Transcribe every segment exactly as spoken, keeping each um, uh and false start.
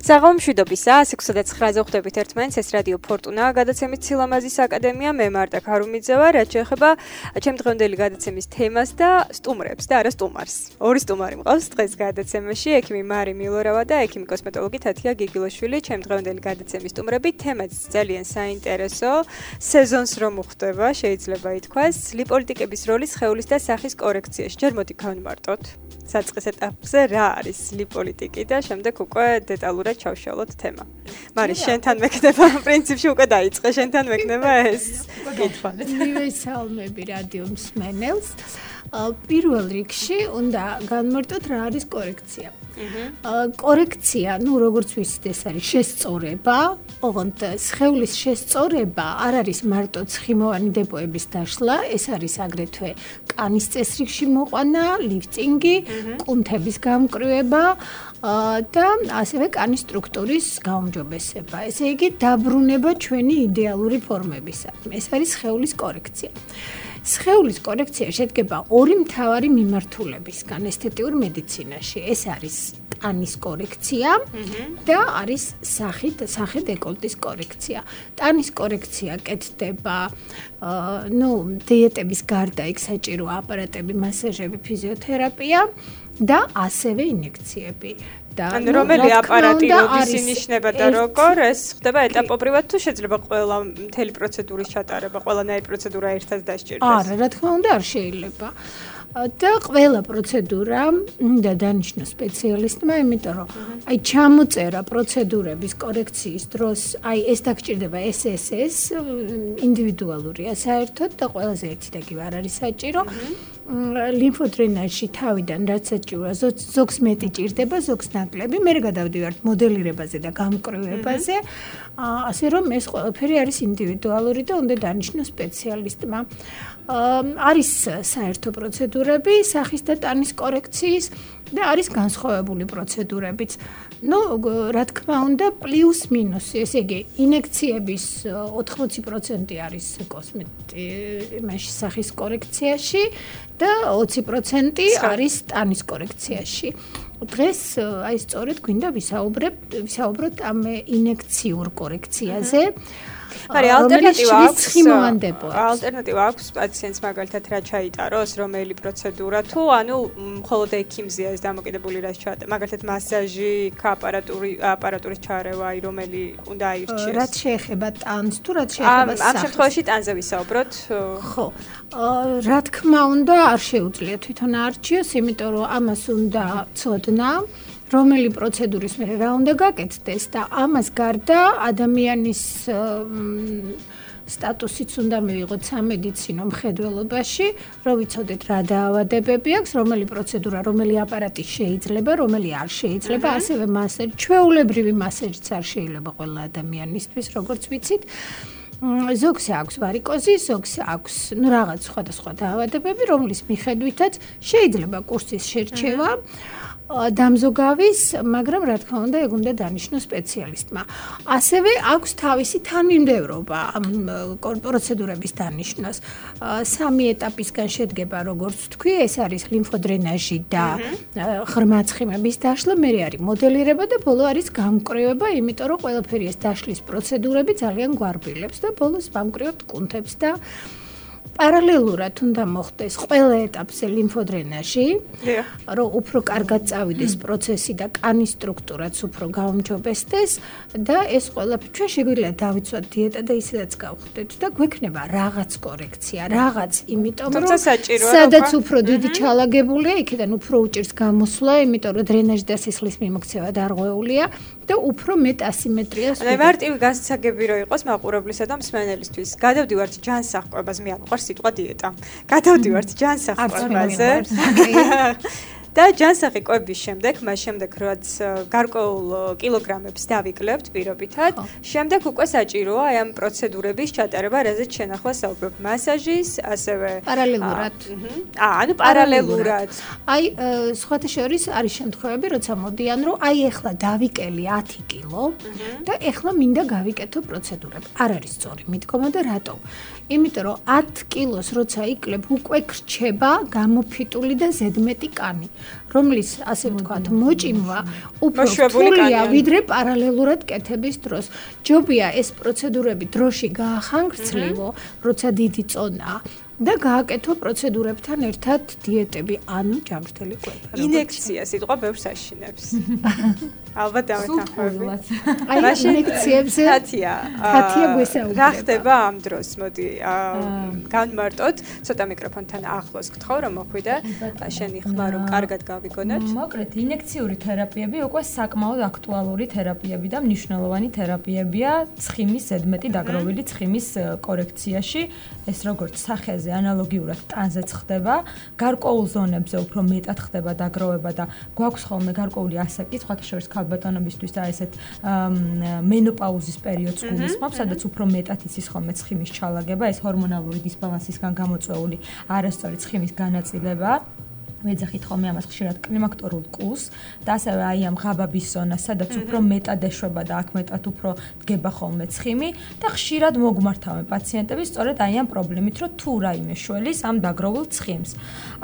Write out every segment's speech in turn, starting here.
საღამომშვიდობისა, ათი და ცხრაზე ხვდებით ერთმანეთს, ეს რადიო ფორტუნა, გადაცემის ცილამაზის აკადემია, მე მარტა ქარუმიძე ვარ, რაც შეეხება ჩემ დღევანდელი გადაცემის თემას და სტუმრებს და არა სტუმარს. ორი სტუმარი მყავს დღეს გადაცემაში, ექიმი მარი მილორავა და ექიმი კოსმეტოლოგი თათია გიგილოშვილი, ჩემ დღევანდელი გადაცემის სტუმრები, თემაც ძალიან საინტერესო, სეზონს რომ უხდება, შეიძლება ითქვას, ლიპოლიტიკების როლი სხეულის და სახის კორექციაში. ჯერ მოდი გავიმარტოთ. საწყის ეტაპზე რა არის ლიპოლიტიკი და შემდეგ უკვე დეტალურად ჩავშალოთ თემა. მარი, შენთან მექნება, პრინციპში უკვე დაიწყე, შენთან მექნება ეს კითხვა. მივესალმები რადიო მსმენელს. პირველ რიგში უნდა განმარტოთ რა არის კორექცია. კორექცია, ну, როგორც ვიცით, ეს არის შესწორება, ოღონდ სხეულის შესწორება არ არის მარტო ცხიმოვანი დებოების დაშლა, ეს არის აგრეთვე კანის წესრიგში მოყვანა, ლიფტინგი, კუნთების გამკრივება და ასევე კანის სტრუქტურის გაუმჯობესება. ესე იგი, დაბრუნება ჩვენი იდეალური ფორმებისადმი. ეს არის სხეულის კორექცია. სხეულის კორექცია შედგება ორი მთავარი მიმართულებისგან ესთეტიურ მედიცინაში. ეს არის ტანის კორექცია და არის სახით, სახე დეკოლტის კორექცია. ტანის კორექცია კეთდება, ну, დიეტების გარდა იქ საჭირო აპარატები, მასაჟები, ფიზიოთერაპია და ასევე ინjekციები. ანუ რომელი აპარატი როდის ინიშნება და როგორ ეს ხდება ეტაპობრივად თუ შეიძლება ყველა მთელი პროცედურის ჩატარება, ყველანაირი პროცედურა ერთად დასჭირდეს? არა, რა თქმა უნდა, არ შეიძლება. და ყველა პროცედურა უნდა დანიშნოს სპეციალისტმა, იმიტომ რომ აი ჩამოწერა პროცედურების კორექციის დროს, აი ეს დაგჭირდება ეს ეს ეს ინდივიდუალურია საერთოდ და ყველაზე ერთი და კი არ არის საჭირო. ლიმფოდრენაჟში თავიდან რაც საჭიროა, ზოგს მეტი ჭირდება, ზოგს ნაკლები. მე გადავდივართ მოდელირებაზე და გამკრივებაზე, ასე რომ ეს ყველაფერი არის ინდივიდუალური და უნდა დანიშნოს სპეციალისტმა. არის საერთო პროცედურები სახის და ტანის კორექციის და არის განსხვავებული პროცედურებიც. ну, რა თქმა უნდა, პლუს მინუსი, ესე იგი, ინjekციების ოთხმოცი პროცენტი არის კოსმეტი, იმაში სახის კორექციაში და ოცი პროცენტი არის ტანის კორექციაში. დღეს აი სწორედ გვინდა ვისაუბრებ, ვისაუბროთ ამ ინjekციურ კორექციაზე. მარი, ალტერნატივა აქვს? ცხიმოვანდებოებს. ალტერნატივა აქვს პაციენტს მაგალითად რა ჩაიტაროს, რომელი პროცედურა თუ ანუ მხოლოდ ექიმზეა ეს დამოკიდებული რაც ჩაატაროს. მაგალითად მასაჟი, აპარატური, აპარატურის ჩარევა, აი რომელი უნდა აირჩიოს. რაც შეეხება ტანს თუ რაც შეეხება სახეს. ამ შემთხვევაში ტანზე ვისაუბროთ. ხო. რა თქმა უნდა, არ შეუძლია თვითონ არჩიოს, იმიტომ რომ ამას უნდა ცოდნა. რომელი პროცედურის მერე რა უნდა გაკეთდეს და ამას გარდა ადამიანის სტატუსიც უნდა მივიღოთ სამედიცინო მხედველობაში, რომ ვიცოდეთ რა დაავადებები აქვს, რომელი პროცედურა, რომელი აპარატი შეიძლება, რომელი არ შეიძლება, ასევე მასაჟი, ჩვეულებრივი მასაჟიც არ შეიძლება ყველა ადამიანისთვის, როგორც ვიცით. ზოგს აქვს ვარიკოზი, ზოგს აქვს, ну, რაღაც სხვადასხვა დაავადებები, რომლის მიხედვითაც შეიძლება კურსის შერჩევა. დამზოგავის, მაგრამ რა თქმა უნდა, ეგ უნდა დანიშნოს სპეციალისტმა. ასევე აქვს თავისი თანმიმდევრობა ამ პროცედურების დანიშნოს. სამი ეტაპისგან შედგება, როგორც თქვი, ეს არის ლიმფოდრენაჟი და ღრმა ცხიმების დაშლა, მერე არის მოდელირება და ბოლო არის გამკრივება, იმიტომ რომ ყველაფერი ეს დაშლის პროცედურები ძალიან გვარბილებს და ბოლოს ვამკრივებთ კუნთებს და პარალელურად უნდა მოხდეს ყველა ეტაპზე ლიმფოდრენაჟი, რომ უფრო კარგად წავიდეს პროცესი და კანის სტრუქტურაც უფრო გაუმჯობესდეს და ეს ყველაფერი ჩვენ შეგვიძლია დავიცვათ დიეტა და ისედაც გავხდეთ და გვექნება რაღაც კორექცია, რაღაც, იმიტომ რომ სადაც უფრო დიდი ჩალაგებულია, იქიდან უფრო უჭირს გამოსვლა, იმიტომ რომ დრენაჟი და სისხლის მიმოქცევა დარღვეულია და უფრო მეტ ასიმეტრიას. ანუ მარტივი გასაგები რო იყოს მაყურებლისა და მსმენელისთვის. გადავდივართ ჯანსაღყვებას, მე არ მოყვარს სიტყვა დიეტა. გადავდივართ ჯანსაღყვებაზე. და ჯანსაღი კვების შემდეგ, მას შემდეგ რაც გარკვეულ კილოგრამებს დავიკლებთ პირობითად, შემდეგ უკვე საჭიროა აი ამ პროცედურების ჩატარება, რაზეც შენ ახლა საუბრობ, მასაჟის, ასევე პარალელურად. აა, ანუ პარალელურად. აი, სხვათა შორის არის შემთხვევები, როცა მოდიან, რომ აი ეხლა დავიკელი ათი კილო და ეხლა მინდა გავიკეთო პროცედურები. არ არის სწორი მიდგომა და რატომ? იმიტომ რომ ათი კილოს როცა იკლებ, უკვე გრჩება გამოფიტული და ზედმეტი კანი. რომლის ასე ვთქვათ, მოჭიმვა უფრო რთულია, ვიდრე პარალელურად კეთების დროს. ჯობია ეს პროცედურები დროში გაახანგრძლივო, როცა დიდი წონაა. და გააკეთო პროცედურებთან ერთად დიეტები, ანუ ჯანმრთელი კვება. ინექცია სიტყვა ბევრს აშინებს. ალბათ დამეთანხმებით. აი ინექციებზე თათია. თათია გვესაუბრება. რა ხდება ამ დროს? მოდი განმარტოთ, ცოტა მიკროფონთან ახლოს გთხოვ რომ მოხვიდე. შენი ხმა რომ კარგად გავიგონოთ. მოკლედ, ინექციური თერაპიები უკვე საკმაოდ აქტუალური თერაპიები და მნიშვნელოვანი თერაპიებია ცხიმის ზედმეტი დაგროვილი ცხიმის კორექციაში. ეს როგორც სახეზე ანალოგიურად ტანზეც ხდება, გარკვეულ ზონებზე უფრო მეტად ხდება დაგროვება და გვაქვს ხოლმე გარკვეული ასაკი, სხვათა შორის ქალბატონობისთვის და ესეთ მენოპაუზის პერიოდს გულისხმობს, სადაც უფრო მეტად იცის ხოლმე ცხიმის ჩალაგება, ეს ჰორმონალური დისბალანსისგან გამოწვეული არასწორი ცხიმის განაწილება. ვეძახით ხოლმე ამას ხშირად კლიმაქტორულ კულს და ასევე აი ამ ღაბაბის ზონას, სადაც უფრო მეტად ეშვება და აქ მეტად უფრო დგება ხოლმე ცხიმი და ხშირად მოგმართავენ პაციენტები სწორედ აი ამ პრობლემით, რომ თუ რაიმე შველის ამ დაგროვილ ცხიმს.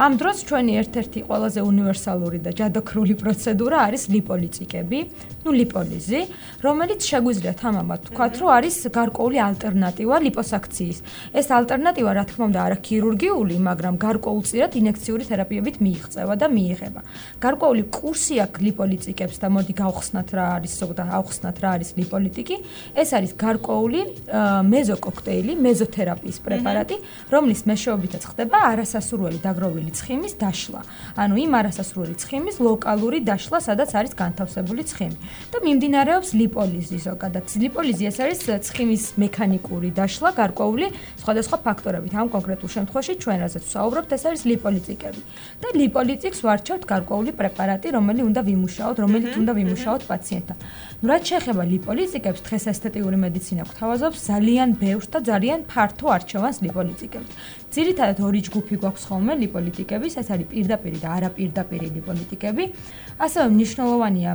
ამ დროს ჩვენი ერთ-ერთი ყველაზე უნივერსალური და ჯადოქრული პროცედურა არის ლიპოლიტიკები, ну ლიპოლიზი, რომელიც შეგვიძლია თამამად ვთქვათ, რომ არის გარკვეული ალტერნატივა ლიპოსაქციის. ეს ალტერნატივა, რა თქმა უნდა, არა ქირურგიული, მაგრამ გარკვეულწილად ინექციური თერაპიებით მიიღწევა და მიიღება. გარკვეული კურსი აქვს ლიპოლიტიკებს და მოდი გავხსნათ რა არის ზოგადად ავხსნათ რა არის ლიპოლიტიკი. ეს არის გარკვეული მეზოკოქტეილი, მეზოთერაპიის პრეპარატი, რომლის მეშვეობითაც ხდება არასასურველი დაგროვილი ცხიმის დაშლა. ანუ იმ არასასურველი ცხიმის ლოკალური დაშლა, სადაც არის განთავსებული ცხიმი. და მიმდინარეობს ლიპოლიზი ზოგადად. ლიპოლიზი ეს არის ცხიმის მექანიკური დაშლა გარკვეული სხვადასხვა ფაქტორებით. ამ კონკრეტულ შემთხვევაში ჩვენ რაზეც ვსაუბრობთ, ეს არის ლიპოლიტიკები. და ლიპოლიტიკს ვარჩევთ გარკვეული პრეპარატი, რომელიც უნდა ვიმუშაოთ, რომელიც უნდა ვიმუშაოთ პაციენტთან. ნუ რაც შეეხება ლიპოლიტიკებს, დღეს ესთეტიური მედიცინა გვთავაზობს ძალიან ბევრს და ძალიან ფართო არჩევანს ლიპოლიტიკებს. ძირითადად ორი ჯგუფი გვაქვს ხოლმე ლიპოლიტიკების, ეს არის პირდაპირი და არაპირდაპირი ლიპოლიტიკები. ასევე მნიშვნელოვანია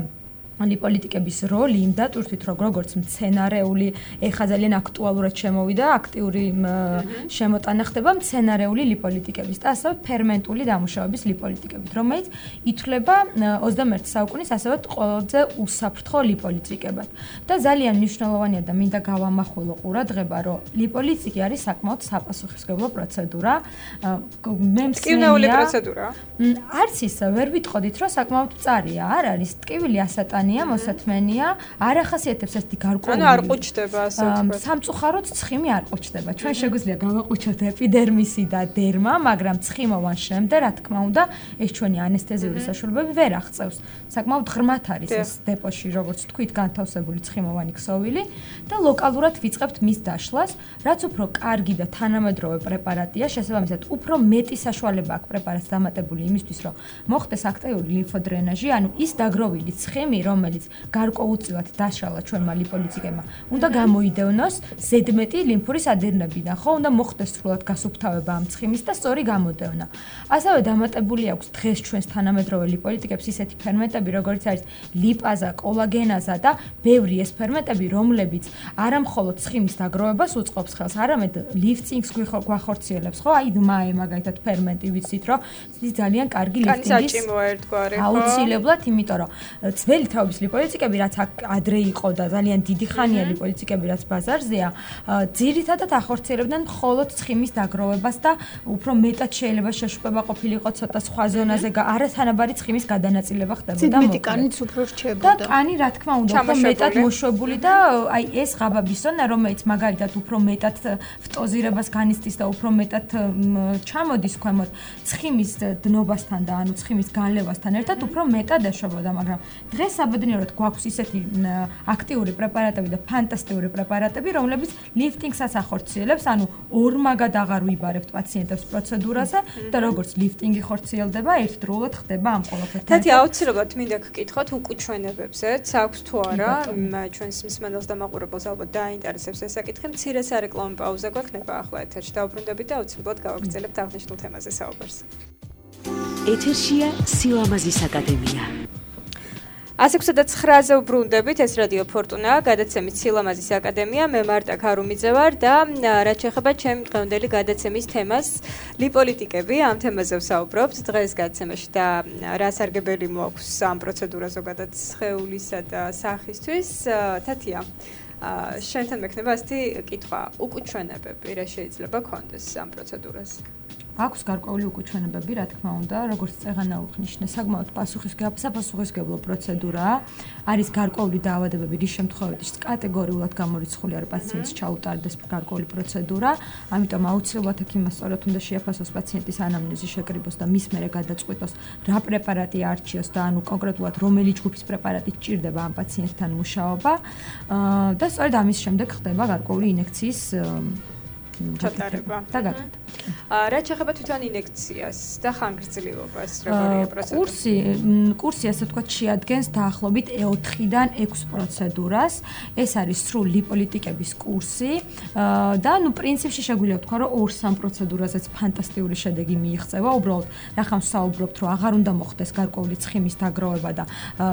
ლიპოლიტიკების როლი იმ დატვირთვით, რომ როგორც მცენარეული, ეხა ძალიან აქტუალურად შემოვიდა, აქტიური შემოტანა ხდება მცენარეული ლიპოლიტიკების და ასევე ფერმენტული დამუშავების ლიპოლიტიკებით, რომელიც ითვლება ოცდამეერთე საუკუნის ასევე ყველაზე უსაფრთხო ლიპოლიტიკებად. და ძალიან მნიშვნელოვანია და მინდა გავამახვილო ყურადღება, რომ ლიპოლიტიკი არის საკმაოდ საპასუხისმგებლო პროცედურა. მე მცენარეული პროცედურა. არც ის ვერ ვიტყოდით, რომ საკმაოდ მწარია, არ არის ტკივილი ასატანი მოსათმენია, არ ახასიათებს ესეთი გარკვეული. ანუ არ ყუჩდება ასე ვთქვათ. სამწუხაროდ ცხიმი არ ყუჩდება. ჩვენ შეგვიძლია გავაყუჩოთ ეპიდერმისი და დერმა, მაგრამ ცხიმოვან შემდგ, რა თქმა უნდა, ეს ჩვენი ანესთეზიური საშუალებები ვერ აღწევს. საკმაოდ ღრმად არის ეს დეპოში, როგორც თქვით, განთავსებული ცხიმოვანი ქსოვილი და ლოკალურად ვიწყებთ მის დაშლას, რაც უფრო კარგი და თანამედროვე პრეპარატია, შესაბამისად, უფრო მეტი საშუალება აქვს პრეპარატს დამატებული იმისთვის, რომ მოხდეს აქტიური ლიმფოდრენაჟი, ანუ ის დაგროვილი ცხიმი, რომელიც გარკვეულწილად დაშალა ჩვენმა ლიპოლიტიკებმა, უნდა გამოიდევნოს ზედმეტი ლიმფური სადირნებიდან, ხო, უნდა მოხდეს სრულად გასუფთავება ამ ცხიმის და სწორი გამოდევნა. ასევე დამატებული აქვს დღეს ჩვენს თანამედროვე ლიპოლიტიკებს ისეთი ფერმენტები, როგორც არის ლიპაზა, კოლაგენაზა და ბევრი ეს ფერმენტები, რომლებიც არა მხოლოდ ცხიმის დაგროვებას უწყობს ხელს, არამედ ლიფტინგს გვახორციელებს, ხო? აი დმაე მაგალითად ფერმენტი ვიცით, რომ ის ძალიან კარგი ლიფტინგის აუცილებლად, იმიტომ რომ ძველი თაობის ლიპოლიტიკები, რაც ადრე იყო და ძალიან დიდი ხანია ლიპოლიტიკები, რაც ბაზარზეა, ძირითადად ახორციელებდნენ მხოლოდ ცხიმის დაგროვებას და უფრო მეტად შეიძლება შეშუპება ყოფილიყო ცოტა სხვა ზონაზე, არათანაბარი ცხიმის გადანაწილება ხდებოდა. მეტი კანიც უფრო რჩებოდა. და კანი, რა თქმა უნდა, უფრო მეტად მოშვებული და აი ეს ღაბაბის ზონა, რომელიც მაგალითად უფრო მეტად ფტოზირებას განიცდის და უფრო მეტად ჩამოდის ქვემოთ ცხიმის დნობასთან და ანუ ცხიმის განლევასთან ერთად უფრო მეტად ეშვებოდა, მაგრამ დღეს საბედნიეროდ გვაქვს ისეთი აქტიური პრეპარატები და ფანტასტიკური პრეპარატები, რომლებიც ლიფტინგსაც ახორციელებს, ანუ ორმაგად აღარ ვიბარებთ პაციენტებს პროცედურაზე და როგორც ლიფტინგი ხორციელდება, ერთდროულად ხდება ამ ყველაფერთან. თათი აუცილებლად მინდა გკითხოთ უკუჩვენებებზეც, აქვს თუ არა, ჩვენს მსმენელს და მაყურებელს ალბათ დაინტერესებს ეს საკითხი. მცირე სარეკლამო პაუზა გვექნება ახლა ეთერში. დაუბრუნდებით და აუცილებლად გავაგრძელებთ აღნიშნულ თემაზე საუბარს. ეთერშია სილამაზის აკადემია. ასი ოცდაათი ცხრაზე უბრუნდებით, ეს რადიო ფორტუნა, გადაცემის სილამაზის აკადემია, მე მარტა ქარუმიძე ვარ და რაც შეეხება ჩემ დღევანდელი გადაცემის თემას, ლიპოლიტიკები, ამ თემაზე ვსაუბრობთ დღეს გადაცემაში და რა სარგებელი მოაქვს ამ პროცედურას ზოგადად სხეულისა და სახისთვის. თათია, შენთან მექნება ასეთი კითხვა, უკუჩვენებები რა შეიძლება ქონდეს ამ პროცედურას? აქვს გარკვეული უკუჩვენებები, რა თქმა უნდა, როგორც წეღანა უხნიშნე, საკმაოდ პასუხისმგებლო პროცედურაა. არის გარკვეული დაავადებები, რის შემთხვევაშიც კატეგორიულად გამორიცხული არის პაციენტს ჩაუტარდეს გარკვეული პროცედურა, ამიტომ აუცილებლად ექიმმა სწორად უნდა შეაფასოს პაციენტის ანამნეზი, შეკრიბოს და მის მერე გადაწყვიტოს, რა პრეპარატი არჩიოს და ანუ კონკრეტულად რომელი ჯგუფის პრეპარატი სჭირდება ამ პაციენტთან მუშაობა და სწორედ ამის შემდეგ ხდება გარკვეული ინექციის ჩატარება და გაკეთება. რაც შეეხება თვითონ ინექციას და ხანგრძლივობას, როგორია პროცედურა? კურსი, კურსი ასე ვთქვათ, შეადგენს დაახლოებით ოთხიდან ექვს პროცედურას. ეს არის სრულ ლიპოლიტიკების კურსი და ნუ პრინციპში შეგვიძლია ვთქვა, რომ ორ-სამ პროცედურაზეც ფანტასტიკური შედეგი მიიღწევა. უბრალოდ, რახან ვსაუბრობთ, რომ აღარ უნდა მოხდეს გარკვეული ცხიმის დაგროვება და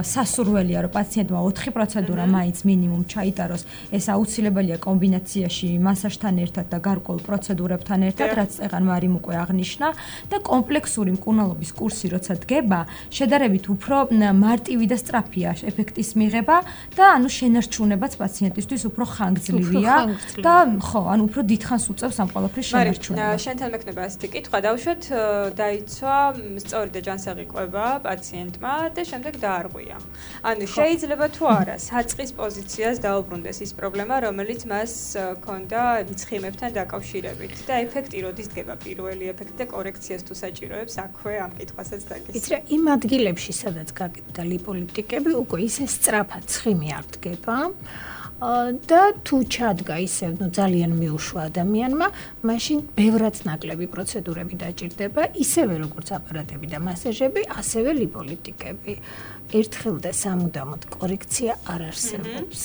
სასურველია, რომ პაციენტმა ოთხი პროცედურა მაინც მინიმუმ ჩაიტაროს. ეს აუცილებელია კომბინაციაში მასაჟთან ერთად და გარკვეულ პროცედურებთან ერთად, რაც წეღან მარიმ უკვე აღნიშნა და კომპლექსური მკურნალობის კურსი როცა დგება, შედარებით უფრო მარტივი და სწრაფია ეფექტის მიღება და ანუ შენარჩუნებაც პაციენტისთვის უფრო ხანგრძლივია და ხო, ანუ უფრო დიდხანს უწევს ამ ყველაფრის შენარჩუნება. მაგრამ შენთან მექნება ასეთი კითხვა, დავუშვათ, დაიცვა სწორი და ჯანსაღი კვება პაციენტმა და შემდეგ დაარღვია. ანუ შეიძლება თუ არა საწყის პოზიციას დაუბრუნდეს ის პრობლემა, რომელიც მას ჰქონდა ცხიმებთან დაკავშირებით და ეფექტი როდის დგება პირველი ეფექტი და კორექციას თუ საჭიროებს აქვე ამ კითხვასაც დაგესვა. იცი რა, იმ ადგილებში სადაც გაკეთდა ლიპოლიტიკები, უკვე ისე სწრაფად ცხიმი არ დგება და თუ ჩადგა ისე, ნუ ძალიან მიუშვა ადამიანმა, მაშინ ბევრად ნაკლები პროცედურები დაჭირდება, ისევე როგორც აპარატები და მასაჟები, ასევე ლიპოლიტიკები. ერთხელ და სამუდამოდ კორექცია არ არსებობს.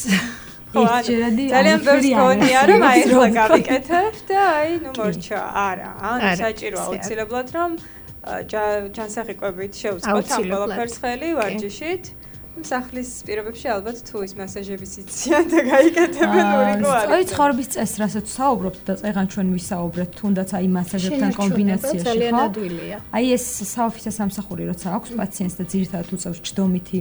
ძალიან ბევრი გონია რომ აი ახლა გავიკეთებ და აი ნუ მორჩა. არა, ანუ საჭიროა აუცილებლად რომ ჯანსაღი კვებით შევწყოთ ამ ყველაფერს ხელი ვარჯიშით. სახლის პირობებში ალბათ თუ ის მასაჟების იციან და გაიკეთებენ ურიკო არის. აი ცხოვრების წესს რასაც საუბრობთ და წეღან ჩვენ ვისაუბრეთ, თუნდაც აი მასაჟებთან კომბინაციაში, ხო? აი ეს საოფისე სამსახური როცა აქვს პაციენტს და ძირითადად უწევს ჯდომითი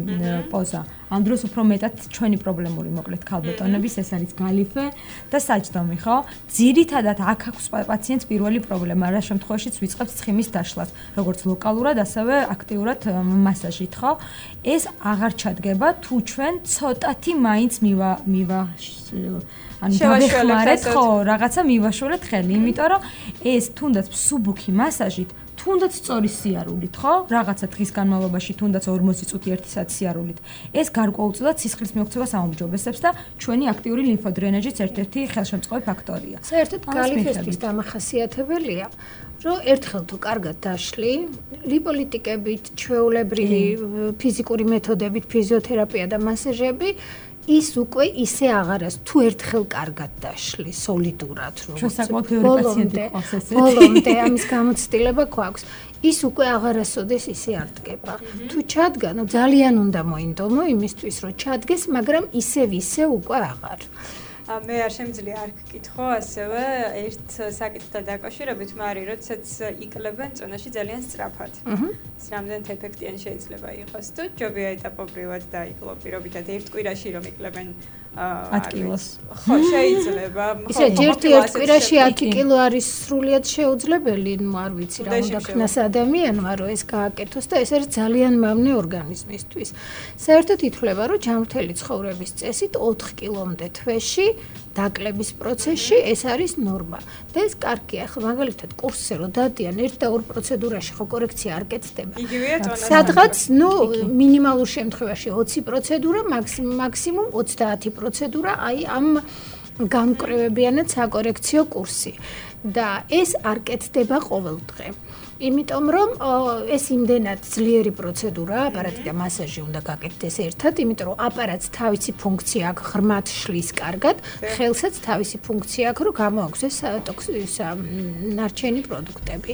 პოზა. ამ დროს უფრო მეტად ჩვენი პრობლემური მოკლედ ქალბატონების ეს არის გალიფე და საჯდომი, ხო? ძირითადად აქ აქვს პაციენტს პირველი პრობლემა, რა შემთხვევაშიც ვიწყებთ ცხიმის დაშლას, როგორც ლოკალურად, ასევე აქტიურად მასაჟით, ხო? ეს აღარ ჩადგება თუ ჩვენ ცოტათი მაინც მივა მივა ანუ დავეხმარეთ, ხო, რაღაცა მივაშორეთ ხელი, იმიტომ რომ ეს თუნდაც მსუბუქი მასაჟით თუნდაც სწორი სიარულით, ხო? რაღაცა დღის განმავლობაში თუნდაც ორმოცი წუთი ერთი საათი სიარულით. ეს გარკვეულწილად სისხლის მიოქცევას აუმჯობესებს და ჩვენი აქტიური ლიმფოდრენაჟის ერთ-ერთი ხელშემწყობი ფაქტორია. საერთოდ გალიფესთვის დამახასიათებელია, რომ ერთხელ თუ კარგად დაშლი, ლიპოლიტიკებით, ჩვეულებრივი ფიზიკური მეთოდებით, ფიზიოთერაპია და масაჟები ის უკვე ისე აღარას თუ ერთხელ კარგად დაშლი სოლიდურად როგორც ბოლომდე ბოლომდე ამის გამოცდილება გვაქვს ის უკვე აღარასოდეს ისე არ დგება თუ ჩადგა ნუ ძალიან უნდა მოინდომო იმისთვის რომ ჩადგეს მაგრამ ისევ ისე უკვე აღარ მე არ შემიძლია არ გკითხო ასევე ერთ საკითხთან დაკავშირებით მარი როდესაც იკლებენ წონაში ძალიან სწრაფად ეს რამდენად ეფექტიანი შეიძლება იყოს თუ ჯობია ეტაპობრივად დაიკლო პირობითად ერთ კვირაში რომ იკლებენ ათი კილოს ხო შეიძლება ისე ერთი ერთ კვირაში ათი კილო არის სრულიად შეუძლებელი ნუ არ ვიცი რა უნდა ქნას ადამიანმა რომ ეს გააკეთოს და ეს არის ძალიან მავნე ორგანიზმისთვის საერთოდ ითვლება რომ ჯანმრთელი ცხოვრების წესით ოთხ კილომდე თვეში დაკლების პროცესში ეს არის ნორმა და ეს კარგია ხო მაგალითად კურსზე რომ დადიან ერთ და ორ პროცედურაში ხო კორექცია არ კეთდება სადღაც ნუ მინიმალურ შემთხვევაში ოცი პროცედურა მაქსიმუმ ოცდაათი პროცედურა აი ამ განკრევებიანად საკორექციო კურსი და ეს არ კეთდება ყოველდღე იმიტომ რომ ეს იმდენად ძლიერი პროცედურაა, აპარატი და მასაჟი უნდა გაკეთდეს ერთად, იმიტომ რომ აპარატს თავისი ფუნქცია აქვს, ღრმად შლის კარგად, ხელსაც თავისი ფუნქცია აქვს, რომ გამოაქვს ეს ნარჩენი პროდუქტები.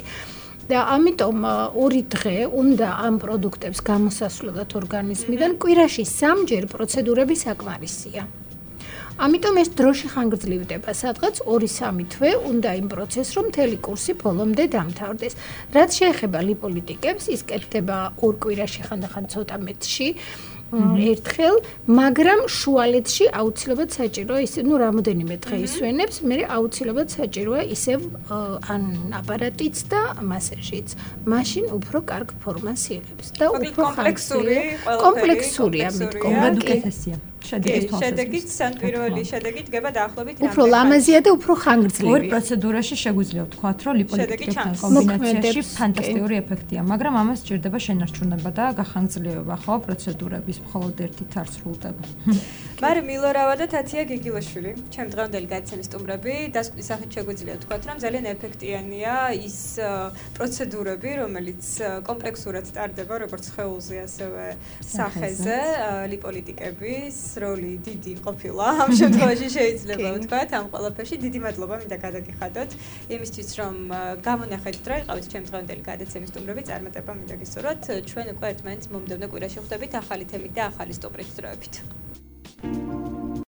და ამიტომ ორი დღე უნდა ამ პროდუქტებს გამოსასვლელად ორგანიზმიდან კვირაში სამჯერ პროცედურები საკმარისია. ამიტომ ეს დროში ხანგრძლივდება, სადღაც ორი სამი თვე უნდა იმ პროცესს, რომ მთელი კურსი ბოლომდე დამთავრდეს. რაც შეეხება ლიპოლიტიკებს, ის კეთდება ორ კვირაში ხანდახან ცოტა მეტში. ერთხელ, მაგრამ შუალედში აუცილებლად საჭიროა ისე, ну, რამოდენიმე დღე ისვენებს, მე აუცილებლად საჭიროა ისევ ან აპარატიც და მასაჟიც. მაშინ უფრო კარგ ფორმას იღებს და უფრო კომპლექსური, კომპლექსურია მეტკეთესია. შედეგის შედეგით სან პირველი შედეგი დგება დაახლოებით უფრო ლამაზია და უფრო ხანგრძლივია. ორ პროცედურაში შეგვიძლია ვთქვათ, რომ ლიპოლიტიკებთან კომბინაციაში ფანტასტიკური ეფექტია, მაგრამ ამას სჭირდება შენარჩუნება და გახანგრძლივება, ხო, პროცედურების მხოლოდ ერთით არ სრულდება. მარი მილორავა და თათია გიგილაშვილი, ჩემ დღევანდელი გადაცემის სტუმრები, დასკვნის სახით შეგვიძლია ვთქვათ, რომ ძალიან ეფექტიანია ის პროცედურები, რომელიც კომპლექსურად ტარდება, როგორც სხეულზე, ასევე სახეზე, ლიპოლიტიკების როლი დიდი ყოფილა. ამ შემთხვევაში შეიძლება ვთქვათ, ამ ყველაფერში დიდი მადლობა მინდა გადაგიხადოთ იმისთვის, რომ გამონახეთ რა იყავით ჩემ დღევანდელი გადაცემის სტუმრები, წარმატება მინდა გისურვოთ. ჩვენ უკვე ერთმანეთს მომდევნო კვირაში ხვდებით ახალი თემით და ახალი სტუმრით დროებით.